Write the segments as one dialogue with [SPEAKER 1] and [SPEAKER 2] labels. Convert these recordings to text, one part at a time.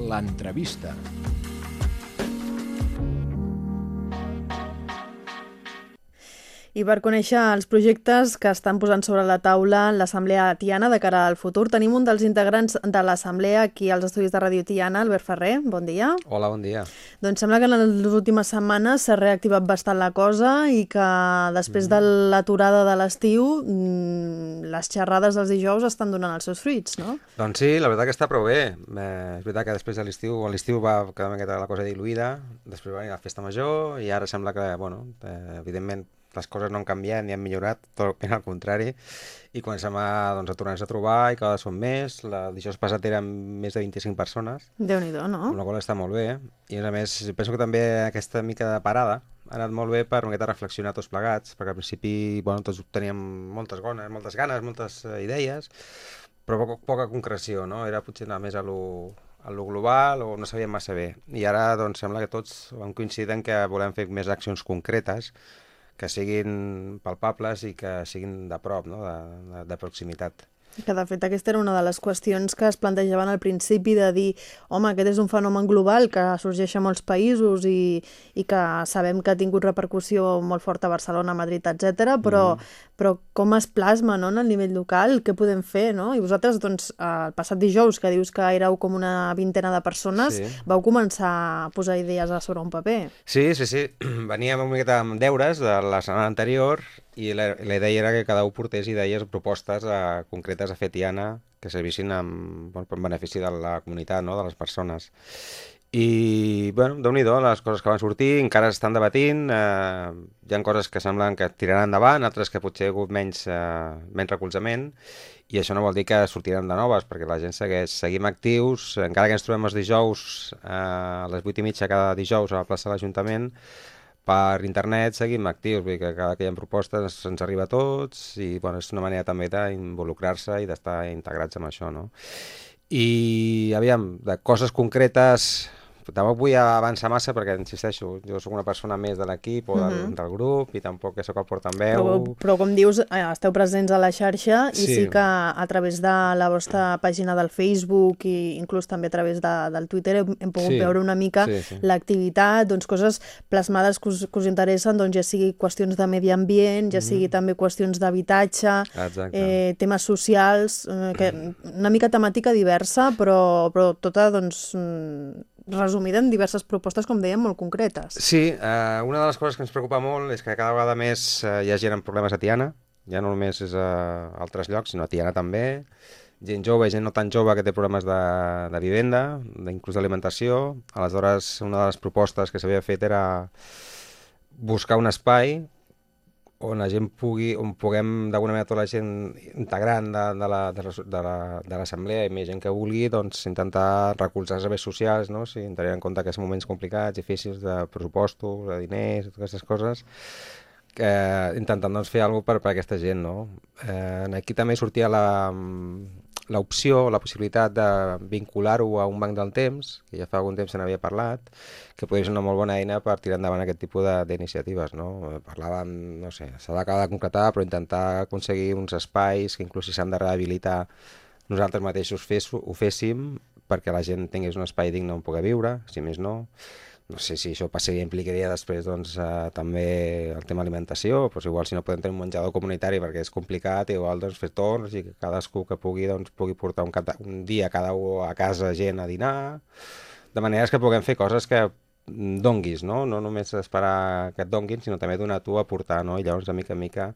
[SPEAKER 1] l'entrevista.
[SPEAKER 2] I per conèixer els projectes que estan posant sobre la taula l'Assemblea Tiana de cara al futur, tenim un dels integrants de l'Assemblea aquí als estudis de Ràdio Tiana, Albert Ferrer. Bon dia.
[SPEAKER 3] Hola, bon dia.
[SPEAKER 2] Doncs sembla que en les últimes setmanes s'ha reactivat bastant la cosa i que després de l'aturada de l'estiu les xerrades dels dijous estan donant els seus fruits, no?
[SPEAKER 3] Doncs sí, la veritat que està prou bé. És veritat que després de l'estiu va quedar una miqueta la cosa diluïda, després va venir la festa major i ara sembla que, evidentment, les coses no han canviat ni han millorat, tot ben al contrari, i comencem a tornar-nos a trobar i cada vegada són més. El dijous passat eren més de 25 persones,
[SPEAKER 2] Déu-n'hi-do, no?
[SPEAKER 3] amb la qual està molt bé, i a més penso que també aquesta mica de parada ha anat molt bé per una miqueta reflexionar tots plegats, perquè al principi tots teníem moltes ganes, moltes idees, però poca concreció, no? Era potser anar més a lo global o no sabíem massa bé. I ara sembla que tots vam coincidir en que volem fer més accions concretes que siguin palpables i que siguin de prop, no? de proximitat.
[SPEAKER 2] Que de fet aquesta era una de les qüestions que es plantejaven al principi, de dir, home, aquest és un fenomen global que sorgeix a molts països i que sabem que ha tingut repercussió molt forta a Barcelona, Madrid, etc. Però com es plasma, no?, en el nivell local, què podem fer, no? I vosaltres, doncs, el passat dijous, que dius que éreu com una vintena de persones, vau començar a posar idees a sobre un paper.
[SPEAKER 3] Sí. Veníem una miqueta amb deures de la setmana anterior i la idea era que cada un portés idees, propostes concretes a fer Tiana que servissin en benefici de la comunitat, no?, de les persones. I, Déu-n'hi-do, les coses que van sortir encara s'estan debatint, hi ha coses que semblen que tiraran endavant, altres que potser ha hagut menys recolzament, i això no vol dir que sortiran de noves, perquè la gent seguim actius, encara que ens trobem els dijous a les 8:30 cada dijous a la plaça de l'Ajuntament, per internet seguim actius, vull dir que cada que hi ha propostes ens arriba a tots i és una manera també d'involucrar-se i d'estar integrats amb això, no? I, aviam, de coses concretes, tampoc vull avançar massa perquè, insisteixo, jo sóc una persona més de l'equip o del grup i tampoc sóc el portaveu.
[SPEAKER 2] Però com dius, esteu presents a la xarxa i sí que a través de la vostra pàgina del Facebook i inclús també a través del Twitter hem pogut veure una mica l'activitat, doncs coses plasmades que us interessen, doncs ja sigui qüestions de medi ambient, ja sigui també qüestions d'habitatge, temes socials, una mica temàtica diversa, però tota, doncs, resumida en diverses propostes, com dèiem, molt concretes.
[SPEAKER 3] Sí, una de les coses que ens preocupa molt és que cada vegada més hi ha gent amb problemes a Tiana, ja no només és a altres llocs, sinó a Tiana també, gent jove, gent no tan jove que té problemes de vivenda, inclús d'alimentació. Aleshores, una de les propostes que s'havia fet era buscar un espai on la gent on puguem, d'alguna manera, tota la gent integrant de l'assemblea i més gent que vulgui, doncs intentar recolzar els serveis socials, no? Si tenint en compte que són moments complicats, difícils de pressupostos, de diners, totes aquestes coses, intentant doncs fer alguna cosa per aquesta gent, no? Aquí també sortia l'opció, la possibilitat de vincular-ho a un banc del temps, que ja fa algun temps se n'havia parlat, que podria ser una molt bona eina per tirar endavant aquest tipus d'iniciatives, no? Parlàvem, no sé, s'ha d'acabar de concretar, però intentar aconseguir uns espais que inclús si s'han de rehabilitar nosaltres mateixos ho féssim perquè la gent tingués un espai digne on poder viure, si més no. No sé si això passaria, implicaria després també el tema alimentació, doncs igual si no podem tenir un menjador comunitari perquè és complicat, igual fer torns i que cadascú que pugui portar un dia cada un a casa gent a dinar, de manera que puguem fer coses que donguis, no? No només esperar que et donguin, sinó també donar tu a portar, no? I llavors de mica en mica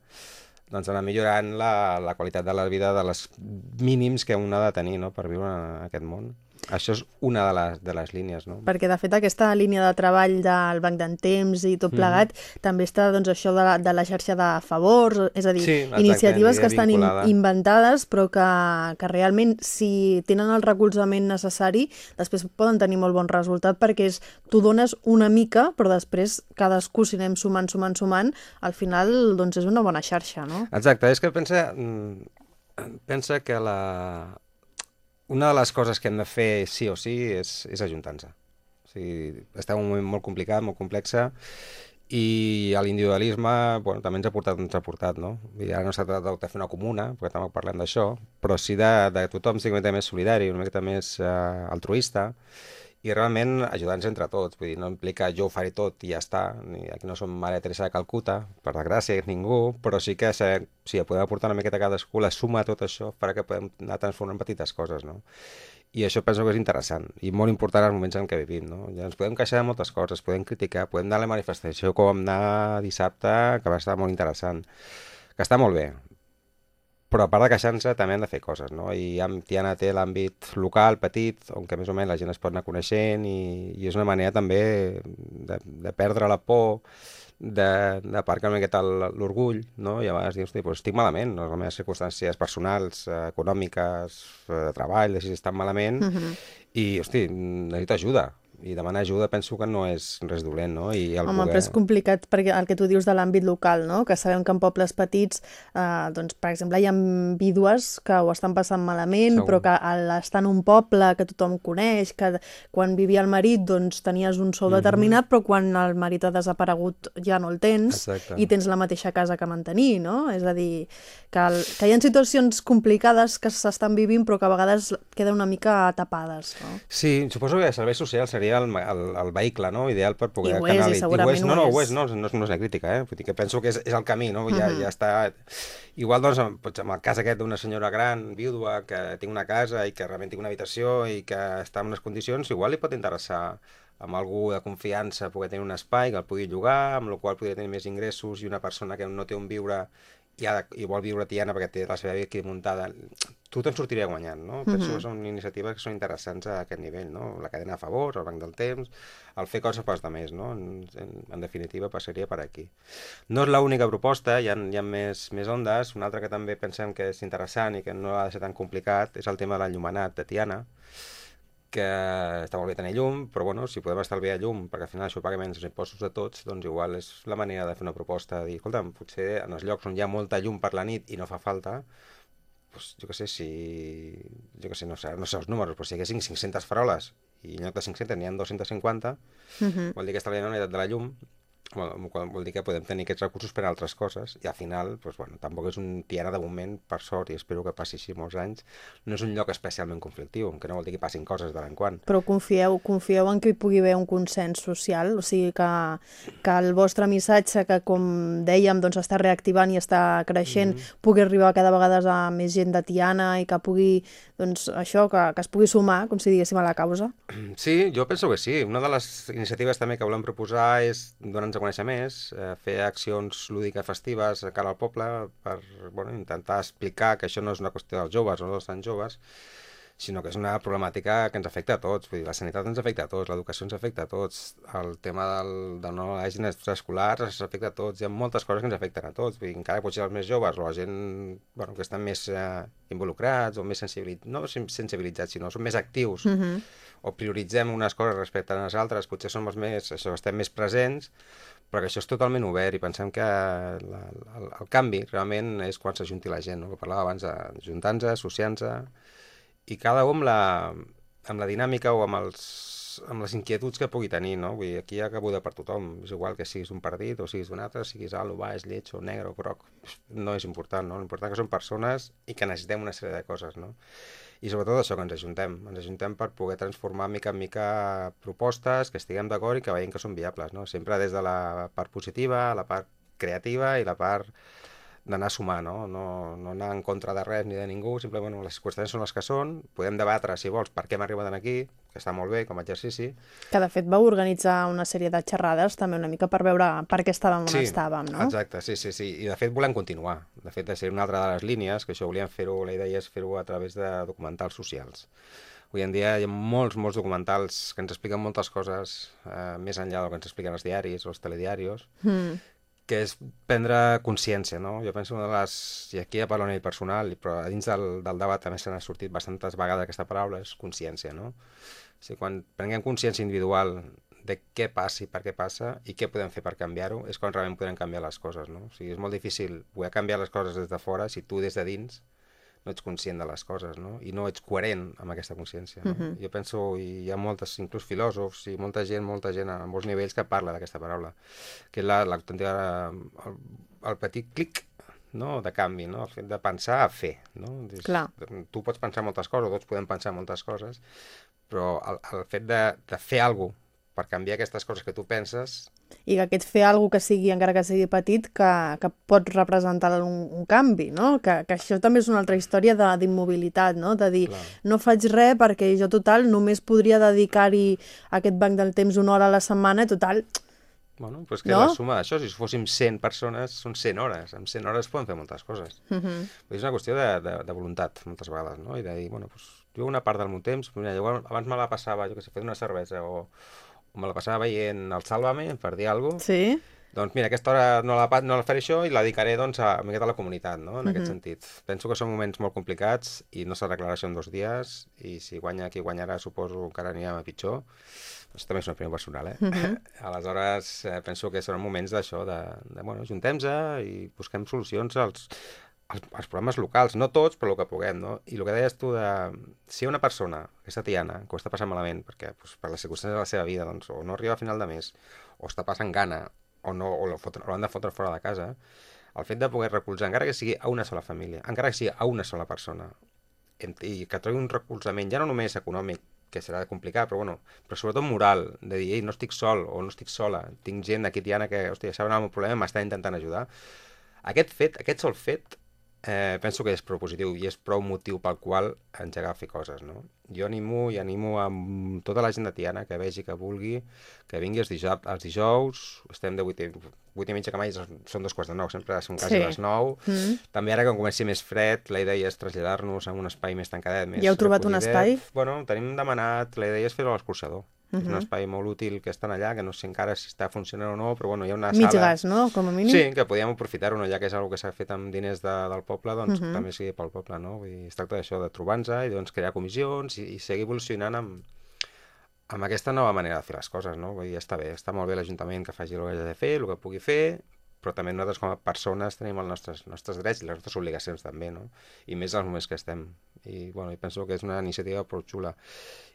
[SPEAKER 3] anar millorant la qualitat de la vida de les mínims que un ha de tenir, no?, per viure en aquest món. Això és una de les línies, no?
[SPEAKER 2] Perquè, de fet, aquesta línia de treball del banc d'en temps i tot plegat també està, doncs, això de la xarxa de favors, és a dir, iniciatives que estan inventades però que realment, si tenen el recolzament necessari, després poden tenir molt bon resultat perquè tu dones una mica, però després cadascú, si anem sumant, al final, doncs, és una bona xarxa, no?
[SPEAKER 3] Exacte, és que pensa que una de les coses que hem de fer sí o sí és ajuntar-nos. O sigui, està un moment molt complicat, molt complex, I l'individualisme, bueno, també ens ha portat, no? I ara no s'ha tractat de fer una comuna, perquè tampoc parlem d'això, però sí de tothom sigui una mica més solidari, una mica més altruista, i realment ajudar-nos entre tots. Vull dir, no implica jo ho faré tot i ja està. Aquí no som Maria Teresa de Calcuta, per desgràcia, ningú, però sí que si podem aportar una miqueta a cadascú, la suma de tot això farà que podem anar transformant petites coses, no? I això penso que és interessant i molt important als moments en què vivim, no? Ja ens podem queixar de moltes coses, podem criticar, podem anar a la manifestació com vam anar dissabte, que va estar molt interessant, que està molt bé, però a part de queixar-se també han de fer coses, no? I Tiana té l'àmbit local, petit, on que més o menys la gent es pot anar coneixent i és una manera també de perdre la por, d'aparcar una miqueta l'orgull, no? I a vegades dius, hosti, doncs estic malament, no? Les meves circumstàncies personals, econòmiques, de treball, si estan malament, i, hosti, necessito ajuda. I demanar ajuda penso que no és res dolent, no? I el
[SPEAKER 2] Home, però és complicat perquè el que tu dius de l'àmbit local, no? Que sabem que en pobles petits, doncs, per exemple, hi ha vídues que ho estan passant malament,
[SPEAKER 3] Segur.
[SPEAKER 2] però que estar en un poble que tothom coneix, que quan vivia el marit doncs tenies un sou determinat, però quan el marit ha desaparegut ja no el tens.
[SPEAKER 3] Exacte.
[SPEAKER 2] I tens la mateixa casa que mantenir, no? És a dir, que hi ha situacions complicades que s'estan vivint però que a vegades queden una mica tapades, no?
[SPEAKER 3] Sí, suposo que els serveis socials seria el vehicle, no? Ideal per poder
[SPEAKER 2] I ho és, i segurament
[SPEAKER 3] no,
[SPEAKER 2] ho
[SPEAKER 3] ho
[SPEAKER 2] és.
[SPEAKER 3] és, no és una crítica, Vull dir que penso que és el camí, no? Ja està... Igual, doncs, amb el cas aquest d'una senyora gran, vídua, que té una casa i que realment té una habitació i que està en unes condicions, igual li pot interessar amb algú de confiança poder tenir un espai que el pugui llogar, amb el qual podria tenir més ingressos, i una persona que no té on viure i vol viure a Tiana perquè té la seva vida aquí muntada, tu te'n sortiria guanyant, no? Penso que són iniciatives que són interessants a aquest nivell, no? La cadena a favor, el banc del temps, el fer coses pels altres, no? En definitiva passaria per aquí. No és l'única proposta, hi ha més ondes. Una altra que també pensem que és interessant i que no ha de ser tan complicat és el tema de l'enllumenat de Tiana, que està molt bé tenir llum, però bueno, si podem estalviar llum, perquè al final això paga menys els impostos de tots, doncs igual és la manera de fer una proposta, de dir, escolta, potser en els llocs on hi ha molta llum per la nit i no fa falta, doncs jo què sé, no sé els números, però si hi haguessin 500 faroles i en lloc de 500 n'hi ha 250, vol dir que estalviem la meitat de la llum, vol dir que podem tenir aquests recursos per a altres coses, i al final, doncs, bueno, tampoc és un Tiana de moment, per sort, i espero que passi així molts anys, no és un lloc especialment conflictiu, que no vol dir que passin coses de tant en quant.
[SPEAKER 2] Però confieu en que hi pugui haver un consens social, o sigui que el vostre missatge, que com dèiem doncs està reactivant i està creixent, pugui arribar cada vegada a més gent de Tiana i que pugui, doncs això, que es pugui sumar, com si diguéssim, a la causa?
[SPEAKER 3] Sí, jo penso que sí. Una de les iniciatives també que volem proposar és donar-nos a conèixer més, fer accions lúdiques festives a cara al poble per intentar explicar que això no és una qüestió dels joves o no dels tan joves, sinó que és una problemàtica que ens afecta a tots. Vull dir, la sanitat ens afecta a tots, l'educació ens afecta a tots, el tema de no hagin extraescolars ens afecta a tots, hi ha moltes coses que ens afecten a tots. Vull dir, encara potser els més joves o la gent que estan més involucrats o més sensibilitzats, sinó són més actius, o prioritzem unes coses respecte a les altres, potser som estem més presents, però que això és totalment obert i pensem que el canvi realment és quan s'ajunti la gent, no? Que parlava abans d'ajuntar-nos, associar-nos, i cada un amb la dinàmica o amb les inquietuds que pugui tenir, no? Vull dir, aquí hi ha cabuda per tothom, és igual que siguis un partit o siguis d'un altre, siguis alt o baix, lleig o negre o groc, no és important, no? L'important que són persones i que necessitem una sèrie de coses, no? I sobretot això, que ens ajuntem per poder transformar mica en mica propostes, que estiguem d'acord i que veiem que són viables, no? Sempre des de la part positiva, la part creativa i la part d'anar a sumar, no anar en contra de res ni de ningú, simplement les qüestions són les que són, podem debatre, si vols, per què hem arribat aquí, que està molt bé com a exercici.
[SPEAKER 2] Que de fet vau organitzar una sèrie de xerrades també una mica per veure per què estàvem on estàvem, no?
[SPEAKER 3] Exacte, sí, i de fet volem continuar, de fet de ser una altra de les línies, que això volíem fer-ho, la idea és fer-ho a través de documentals socials. Avui en dia hi ha molts documentals que ens expliquen moltes coses més enllà del que ens expliquen els diaris o els telediaris, que és prendre consciència, no? Jo penso una de les... I aquí ja parlo a nivell personal, però a dins del debat també se n'ha sortit bastantes vegades aquesta paraula, és consciència, no? O sigui, quan prenguem consciència individual de què passa i per què passa i què podem fer per canviar-ho, és quan realment podem canviar les coses, no? O sigui, és molt difícil poder canviar les coses des de fora si tu des de dins no ets conscient de les coses, no? I no ets coherent amb aquesta consciència, no? Jo penso, i hi ha moltes, inclús filòsofs i molta gent a molts nivells que parla d'aquesta paraula, que és el petit clic, no? De canvi, no? El fet de pensar a fer, no? Tu pots pensar moltes coses, tots podem pensar moltes coses, però el fet de fer alguna cosa per canviar aquestes coses que tu penses...
[SPEAKER 2] I que aquest fer alguna cosa que sigui, encara que sigui petit, que pot representar un canvi, no? Que això també és una altra història d'immobilitat, no? De dir, no faig res perquè jo, total, només podria dedicar-hi a aquest banc del temps 1 hora a la setmana, total...
[SPEAKER 3] Bueno, doncs que la suma d'això, si fóssim 100 persones, són 100 hores. En 100 hores podem fer moltes coses. És una qüestió de voluntat, moltes vegades, no? I de dir, bueno, doncs, jo una part del meu temps, mira, jo abans me la passava, jo que sé, fent una cervesa o me la passava veient el Sálvame, per dir alguna cosa.
[SPEAKER 2] Sí.
[SPEAKER 3] Doncs mira, aquesta hora no la faré això i la dedicaré doncs, a la comunitat, no? En aquest sentit. Penso que són moments molt complicats i no s'arreglarà això en 2 dies i si guanya qui guanyarà suposo que encara anirà a pitjor. Això també és una opinió personal, Aleshores, penso que seran moments d'això, bueno, juntem-se i busquem solucions als problemes locals, no tots, però el que puguem, no? I el que deies tu si una persona, aquesta Tiana, que ho està passant malament, perquè per les circumstàncies de la seva vida, doncs, o no arriba a final de mes, o està passant gana, o l'han de fotre fora de casa, el fet de poder recolzar, encara que sigui a una sola família, encara que sigui a una sola persona, i que trobi un recolzament, ja no només econòmic, que serà complicat, però sobretot moral, de dir, ei, no estic sol o no estic sola, tinc gent aquí, Tiana, que, hòstia, saben el meu problema, m'està intentant ajudar. Aquest sol fet, penso que és prou positiu i és prou motiu pel qual engegar a fer coses, no? Jo animo amb tota la gent de Tiana que vegi, que vulgui, que vingui els dijous, estem de 8:30 que mai, són 8:45, sempre som quasi a les 9. També ara que comenci més fred, la idea és traslladar-nos a un espai més tancadet, més
[SPEAKER 2] ja heu trobat un espai?
[SPEAKER 3] Bueno, tenim demanat, la idea és fer-ho a l'escorxador. És un espai molt útil que estan allà, que no sé encara si està funcionant o no, però bueno, hi ha una sala...
[SPEAKER 2] Mig gas, no? Com a mínim.
[SPEAKER 3] Sí, que podíem aprofitar-ho, no? Ja que és una cosa que s'ha fet amb diners del poble, doncs també sigui pel poble, no? Vull dir, es tracta d'això, de trobar-nos i doncs crear comissions i seguir evolucionant amb aquesta nova manera de fer les coses, no? Vull dir, està bé, està molt bé l'Ajuntament que faci el que hagi de fer, el que pugui fer, però també nosaltres com a persones tenim els nostres drets i les nostres obligacions també, no? I més als moments que estem. I bueno, penso que és una iniciativa prou xula.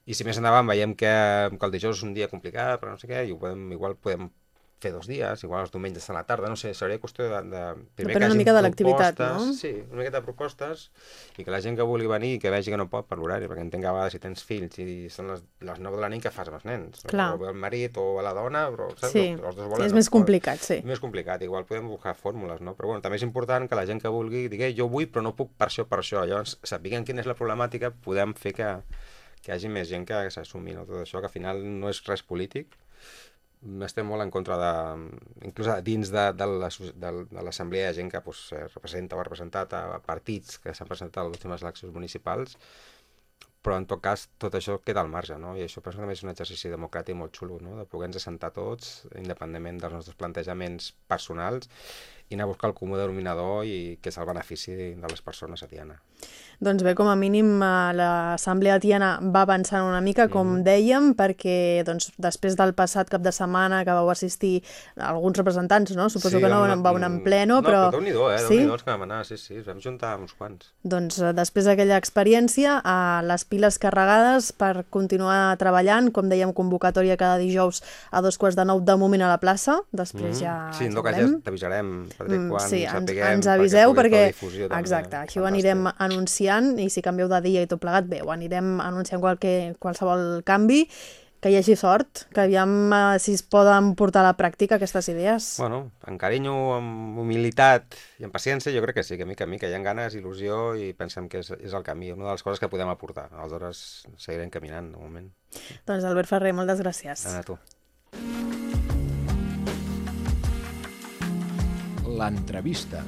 [SPEAKER 3] I si més endavant veiem que el dijous és un dia complicat, però no sé què, i igual podem fer 2 dies, igual els diumenges a la tarda, no sé, seria qüestió
[SPEAKER 2] depèn una mica de l'activitat, no?
[SPEAKER 3] Sí, una miqueta de propostes, i que la gent que vulgui venir i que vegi que no pot per l'horari, perquè entenc que a vegades si tens fills i són les 9 de la nit, què fas amb els nens?
[SPEAKER 2] Clar.
[SPEAKER 3] O el marit o la dona, però saps?
[SPEAKER 2] Sí,
[SPEAKER 3] Els dos volen,
[SPEAKER 2] és més complicat, sí.
[SPEAKER 3] És més complicat, igual podem buscar fórmules, no? Però bueno, també és important que la gent que vulgui digui, jo vull però no puc per això. Llavors, sapiguem quina és la problemàtica, podem fer que hi hagi més gent que s'assumi, no? Tot això, que al final no és res polític. Estem molt en contra inclús dins de l'assemblea hi ha gent que representa o ha representat a partits que s'han presentat a les últimes eleccions municipals, però en tot cas tot això queda al marge, no? I això penso que també és un exercici democràtic molt xulo, no? De poder-nos assentar tots, independentment dels nostres plantejaments personals, i anar a buscar el comú denominador i que és el benefici de les persones a Tiana.
[SPEAKER 2] Doncs bé, com a mínim l'Assemblea Tiana va avançant una mica, com dèiem, perquè doncs, després del passat cap de setmana que vau assistir alguns representants, no? Suposo que no vau anar en pleno, però...
[SPEAKER 3] No, però Déu-n'hi-do, Déu-n'hi-do els que vam anar, sí, ens vam juntar uns quants.
[SPEAKER 2] Doncs després d'aquella experiència, les piles carregades per continuar treballant, com dèiem, convocatòria cada dijous a 8:45 de moment a la plaça, després ja...
[SPEAKER 3] Sí, en tot cas ja t'avisarem, quan
[SPEAKER 2] sí,
[SPEAKER 3] sapiguem,
[SPEAKER 2] ens aviseu perquè...
[SPEAKER 3] Exacte,
[SPEAKER 2] així ho anirem anunciant, i si canvieu de dia i tot plegat, bé, ho anirem anunciant qualsevol canvi, que hi hagi sort, que aviam si es poden portar a la pràctica aquestes idees.
[SPEAKER 3] Bueno, amb carinyo, amb humilitat i amb paciència, jo crec que sí, que mica hi ha ganes, il·lusió, i pensem que és el camí, una de les coses que podem aportar. Aleshores seguirem caminant, de moment.
[SPEAKER 2] Doncs Albert Ferrer, moltes gràcies.
[SPEAKER 3] A tu.
[SPEAKER 1] L'entrevista.